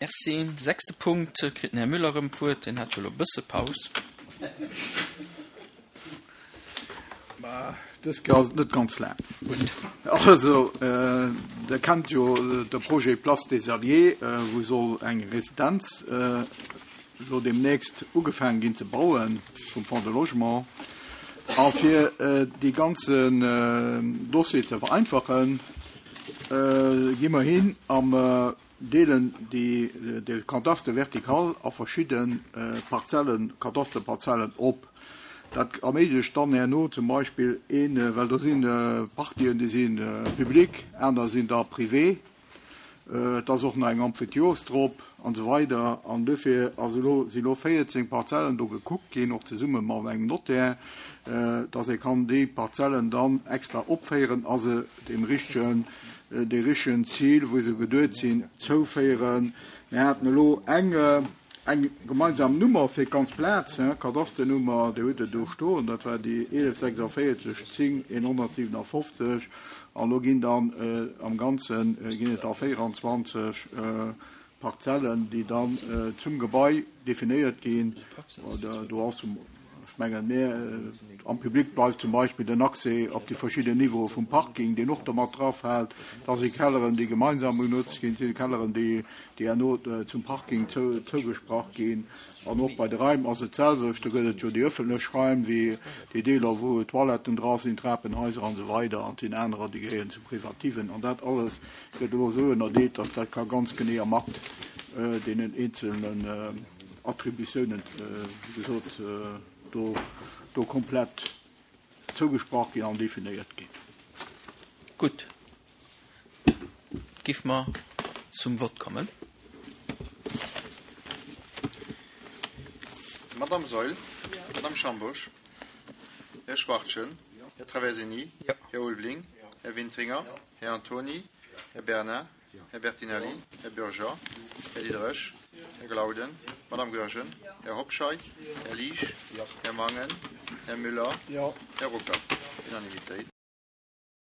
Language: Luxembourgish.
Merci. Sechste Punkt kritt den Här Müller erëm d'Wuert. Deen hat jo elo e bësse Paus. Mä dës Kéier ass et net ganz laang. Also, Der kennt jo de Projet Place des Alliés, wou soll eng Residenz elo deemnächst ugefaangen ginn ze bauen vum Fonds de Logement. A fir dee ganzen Dossier ze vereinfachen, gi mer hin a mer deelen déi de Cadastre vertical a verschidde Parzellen, Kadasterparzellen op. Dat erméiglecht dann herno zum Beispill een, well do si Partien, déi si public, aner sinn da privé, et ass och nach eng Emphytiose drop an esou weider. An dofir ass elo, si elo 14 Parzellen do gekuckt ginn, och zesumme mat engem Notaire, dass ee kann déi Parzellen dann extra opféieren a se deem richtegen, dee richtegen Zil, wou se geduet sinn, zouféieren. Mir haten elo eng, eng gemeinsam Nummer fir d'ganz Plaz, Kadasternummer, Dir hutt et do stoen, dat war déi 1146 10 157. An elo ginn dann am Ganze ginn et da 24 Parzellen, déi dann zum Gebai definéiert ginn. Do ass zum, ech mengen, mä am Public bleift zum Beispill den Accès op déi verschidden Niveaue vum Parking, deen och do mat drafält. Da si Kelleren, déi gemeinsam benotzt ginn, si Kelleren, déi herno zum Parking zougesprach ginn. An och bei de Raim ass et d'selwecht. Do gëtt et jo déi ëffentlech Raim, wéi déi Deeler, wou Toiletten dra sinn, Trapenhaiser an esou weider, an et sinn anerer, déi gehéieren zum Privativen. An dat alles gëtt elo esou ënnerdeelt, dass dat ka ganz genee am Akt deenen eenzelnen Attributiounen, wéi gesot, do, do komplett zougesprach ginn an definéiert ginn. Gutt, géife mer zum Vott kommen. Madamm Saeul? Madamm Schambourg? Här Schwachtgen? Här Traversini? Här Ulveling? Här Wintringer? Här Antony, Här Bernard, Här Bertinelli, Här Bürger, Här Diderich, Här Glauden, Madame Goergen, Här Hobscheit, Här Liesch, Här Mangen, Här Müller, Här Ruckert. Unanimitéit.